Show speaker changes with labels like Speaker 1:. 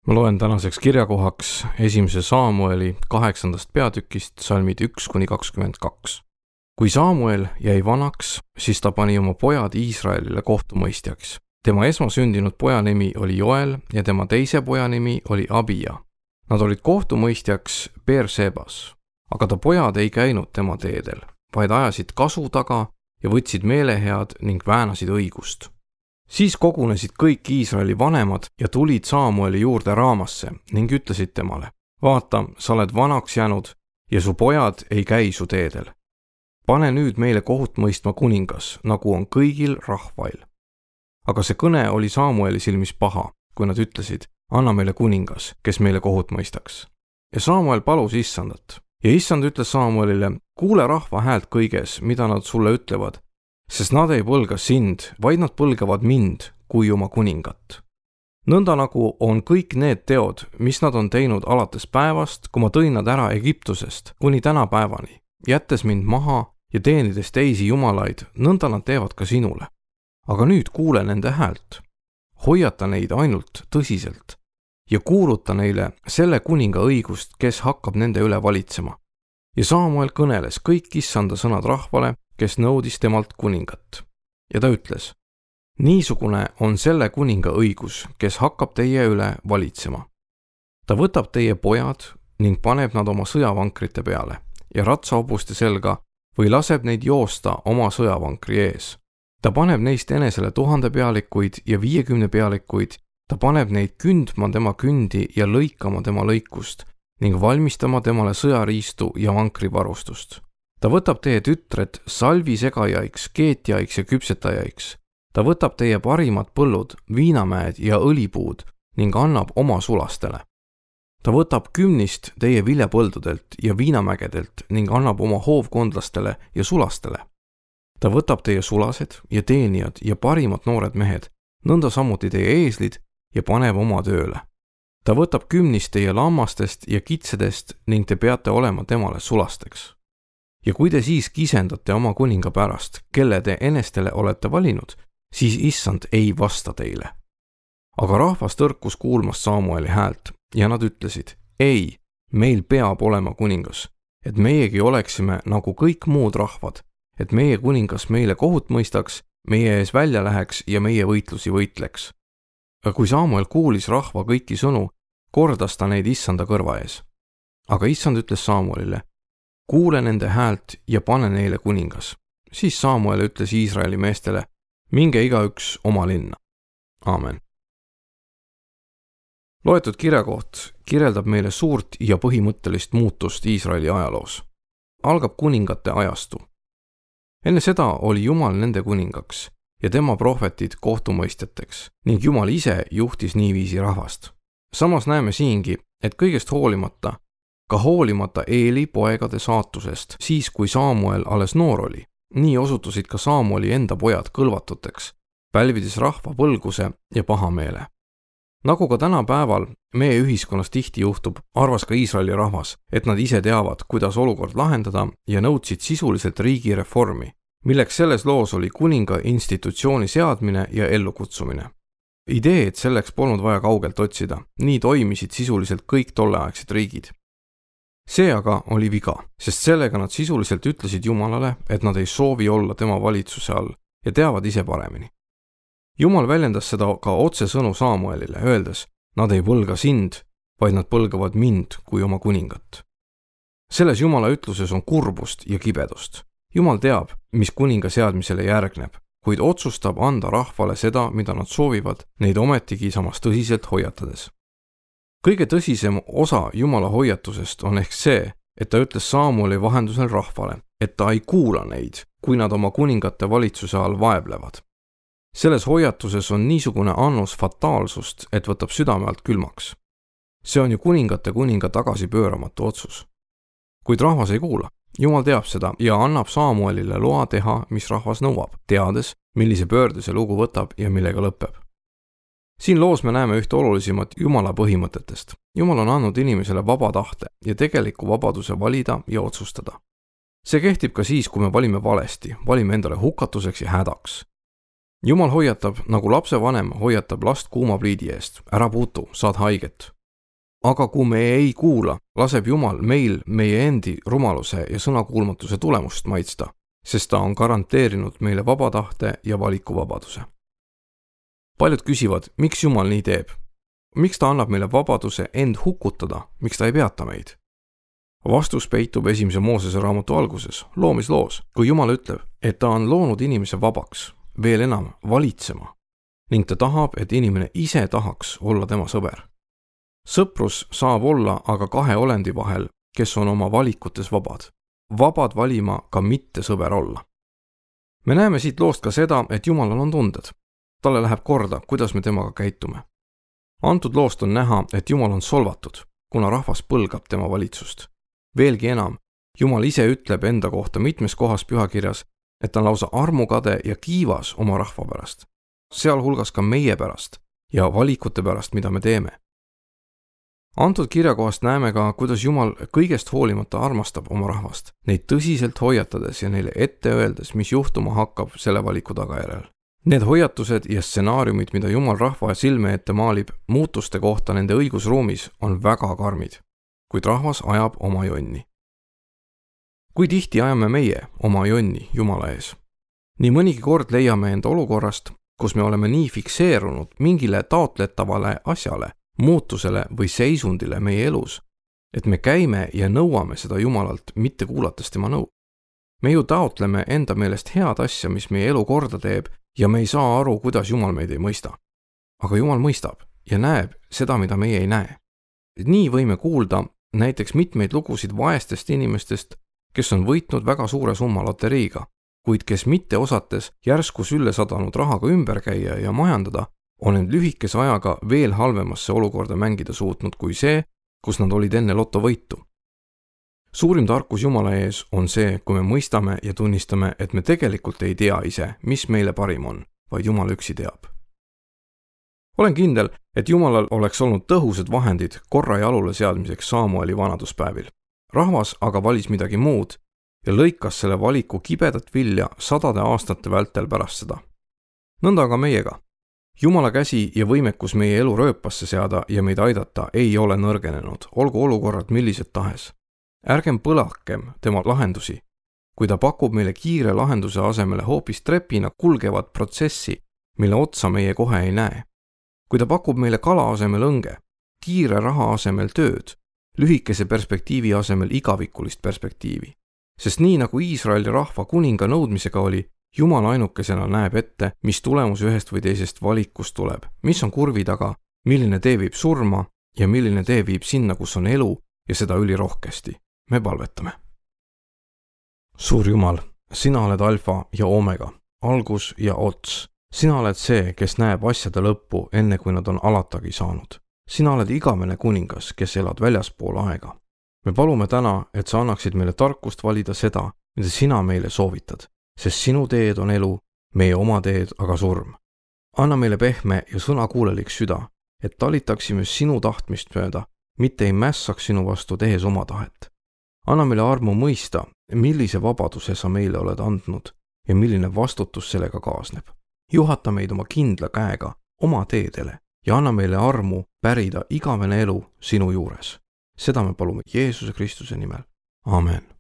Speaker 1: Ma loen tänaseks kirjakohaks 1. Saamueli 8. peatükist salmid 1-22. Kui Saamuel jäi vanaks, siis ta pani oma pojad Iisraelile kohtumõistjaks. Tema esmasündinud poja nimi oli Joel ja tema teise poja nimi oli Abija. Nad olid kohtumõistjaks Beersebas, aga ta pojad ei käinud tema teedel, vaid ajasid kasu taga ja võtsid meelehead ning väänasid õigust. Siis kogunesid kõik Iisraeli vanemad ja tulid Saamueli juurde Raamasse ning ütlesid temale: vaata, sa oled vanaks jäänud ja su pojad ei käi su teedel. Pane nüüd meile kohut mõistma kuningas, nagu on kõigil rahvail. Aga see kõne oli Saamueli silmis paha, kui nad ütlesid: anna meile kuningas, kes meile kohut mõistaks. Ja Saamuel palus Issandat. Ja Issand ütles Saamuelile: kuule rahva häält kõiges, mida nad sulle ütlevad, sest nad ei põlga sind, vaid nad põlgavad mind kui oma kuningat. Nõnda nagu on kõik need teod, mis nad on teinud alates päevast, kui ma tõin nad ära Egiptusest kuni tänapäevani, jättes mind maha ja teenides teisi jumalaid, nõnda nad teevad ka sinule. Aga nüüd kuule nende häält. Hoiata neid ainult tõsiselt ja kuuluta neile selle kuninga õigust, kes hakkab nende üle valitsema. Ja Saamuel kõneles kõik Issanda sõnad rahvale, kes nõudis temalt kuningat. Ja ta ütles: niisugune on selle kuninga õigus, kes hakkab teie üle valitsema. Ta võtab teie pojad ning paneb nad oma sõjavankrite peale ja ratsahobuste selga või laseb neid joosta oma sõjavankri ees. Ta paneb neist enesele 1000 pealikuid ja 50 pealikuid, ta paneb neid kündma tema kündi ja lõikama tema lõikust ning valmistama temale sõjariistu ja vankrivarustust. Ta võtab teie tütred salvisegajaiks, keetjaiks ja küpsetajaiks. Ta võtab teie parimad põllud, viinamäed ja õlipuud ning annab oma sulastele. Ta võtab kümnist teie viljapõldudelt ja viinamägedelt ning annab oma hoovkondlastele ja sulastele. Ta võtab teie sulased ja teenijad ja parimad noored mehed, nõnda samuti teie eeslid ja paneb oma tööle. Ta võtab kümnist teie lammastest ja kitsedest ning te peate olema temale sulasteks. Ja kui te siis kisendate oma kuninga pärast, kelle te enestele olete valinud, siis Issand ei vasta teile. Aga rahvas tõrkus kuulmas Saamueli häält ja nad ütlesid: ei, meil peab olema kuningas, et meiegi oleksime nagu kõik muud rahvad, et meie kuningas meile kohut mõistaks, meie ees välja läheks ja meie võitlusi võitleks. Aga kui Saamuel kuulis rahva kõiki sõnu, kordas ta neid Issanda kõrva ees. Aga Issand ütles Saamuelile: kuule nende häält ja pane neile kuningas. Siis Saamuel ütles Iisraeli meestele: minge igaüks oma linna. Aamen. Loetud kirjakoht kirjeldab meile suurt ja põhimõttelist muutust Iisraeli ajaloos. Algab kuningate ajastu. Enne seda oli Jumal nende kuningaks ja tema prohvetid kohtumõistjateks ning Jumal ise juhtis niiviisi rahvast. Samas näeme siingi, et kõigest hoolimata, ka hoolimata Eeli poegade saatusest, siis kui Saamuel alles noor oli, nii osutusid ka Saamueli enda pojad kõlvatuteks, pälvides rahva põlguse ja pahameele. Nagu ka tänapäeval meie ühiskonnas tihti juhtub, arvas ka Iisraeli rahvas, et nad ise teavad, kuidas olukord lahendada ja nõudsid sisuliselt riigireformi, milleks selles loos oli kuninga institutsiooni seadmine ja ellukutsumine. Ideed selleks polnud vaja kaugelt otsida, nii toimisid sisuliselt kõik tolleaegsed riigid. See aga oli viga, sest sellega nad sisuliselt ütlesid Jumalale, et nad ei soovi olla tema valitsuse all ja teavad ise paremini. Jumal väljendas seda ka otsesõnu Saamuelile, öeldes: nad ei põlga sind, vaid nad põlgavad mind kui oma kuningat. Selles Jumala ütluses on kurbust ja kibedust. Jumal teab, mis kuninga seadmisele järgneb, kuid otsustab anda rahvale seda, mida nad soovivad, neid ometigi samas tõsiselt hoiatades. Kõige tõsisem osa Jumala hoiatusest on ehk see, et ta ütles Saamueli vahendusel rahvale, et ta ei kuula neid, kui nad oma kuningate valitsuse all vaevlevad. Selles hoiatuses on niisugune annus fataalsust, et võtab südame alt külmaks. See on ju kuningate kuninga tagasipööramatu otsus. Kuid rahvas ei kuula. Jumal teab seda ja annab Saamuelile loa teha, mis rahvas nõuab, teades, millise pöörde see lugu võtab ja millega lõpeb. Siin loos me näeme ühte olulisemat Jumala põhimõtetest. Jumal on andnud inimesele vaba tahte ja tegeliku vabaduse valida ja otsustada. See kehtib ka siis, kui me valime valesti, valime endale hukatuseks ja hädaks. Jumal hoiatab, nagu lapsevanem hoiatab last kuuma pliidi eest. Ära puutu, saad haiget. aga kui me ei kuula, laseb Jumal meil meie endi rumaluse ja sõnakuulmatuse tulemust maitsta, sest ta on garanteerinud meile vaba tahte ja valikuvabaduse. Paljud küsivad, miks Jumal nii teeb? Miks ta annab meile vabaduse end hukutada, miks ta ei peata meid? Vastus peitub 1. Moosese raamatu alguses, loomisloos, kui Jumal ütleb, et ta on loonud inimese vabaks, veel enam valitsema, ning ta tahab, et inimene ise tahaks olla tema sõber. Sõprus saab olla aga kahe olendi vahel, kes on oma valikutes vabad. Vabad valima ka mitte sõber olla. Me näeme siit loost ka seda, et Jumalal on tunded. Talle läheb korda, kuidas me temaga käitume. Antud loost on näha, et Jumal on solvatud, kuna rahvas põlgab tema valitsust. Veelgi enam, Jumal ise ütleb enda kohta mitmes kohas pühakirjas, et ta on lausa armukade ja kiivas oma rahva pärast, sealhulgas ka meie pärast ja valikute pärast, mida me teeme. Antud kirjakohast näeme ka, kuidas Jumal kõigest hoolimata armastab oma rahvast, neid tõsiselt hoiatades ja neile ette öeldes, mis juhtuma hakkab selle valiku tagajärjel. Need hoiatused ja stsenaariumid, mida Jumal rahva silme ette maalib muutuste kohta nende õigusruumis, on väga karmid, kuid rahvas ajab oma jonni. Kui tihti ajame meie oma jonni Jumala ees? Nii mõnigi kord leiame enda olukorrast, kus me oleme nii fikseerunud mingile taotletavale asjale, muutusele või seisundile meie elus, et me käime ja nõuame seda Jumalalt, mitte kuulates tema nõu. Me ju taotleme enda meelest head asja, mis meie elu korda teeb, ja me ei saa aru, kuidas Jumal meid ei mõista. Aga Jumal mõistab ja näeb seda, mida meie ei näe. Nii võime kuulda näiteks mitmeid lugusid vaestest inimestest, kes on võitnud väga suure summa loteriiga, kuid kes mitte osates järsku sülle sadanud rahaga ümber käia ja majandada, on end lühikese ajaga veel halvemasse olukorda mängida suutnud kui see, kus nad olid enne lotovõitu. Suurim tarkus Jumala ees on see, kui me mõistame ja tunnistame, et me tegelikult ei tea ise, mis meile parim on, vaid Jumal üksi teab. Olen kindel, et Jumalal oleks olnud tõhusad vahendid korra jalule seadmiseks Saamueli vanaduspäevil. Rahvas aga valis midagi muud ja lõikas selle valiku kibedat vilja 100 aastate vältel pärast seda. Nõnda aga meiega. Jumala käsi ja võimekus meie elu rööpasse seada ja meid aidata ei ole nõrgenenud, olgu olukorrad millised tahes. Ärgem põlakem tema lahendusi, kui ta pakub meile kiire lahenduse asemele hoopis trepina kulgevat protsessi, mille otsa meie kohe ei näe. Kui ta pakub meile kala asemel õnge, kiire raha asemel tööd, lühikese perspektiivi asemel igavikulist perspektiivi. Sest nii nagu Iisraeli rahva kuninga nõudmisega oli, Jumal ainukesena näeb ette, mis tulemus ühest või teisest valikust tuleb, mis on kurvi taga, milline tee viib surma ja milline tee viib sinna, kus on elu ja seda ülirohkesti. Me palvetame. Suur Jumal, sina oled alfa ja omega, algus ja ots. Sina oled see, kes näeb asjade lõppu, enne kui nad on alatagi saanud. Sina oled igavene kuningas, kes elad väljaspool aega. Me palume täna, et sa annaksid meile tarkust valida seda, mida sina meile soovitad, sest sinu teed on elu, meie oma teed aga surm. Anna meile pehme ja sõnakuulelik süda, et talitaksime sinu tahtmist mööda, mitte ei mässaks sinu vastu tehes oma tahet. Anna meile armu mõista, millise vabaduse sa meile oled andnud ja milline vastutus sellega kaasneb. Juhata meid oma kindla käega oma teedele ja anna meile armu pärida igavene elu sinu juures. Seda me palume Jeesuse Kristuse nimel. Amen.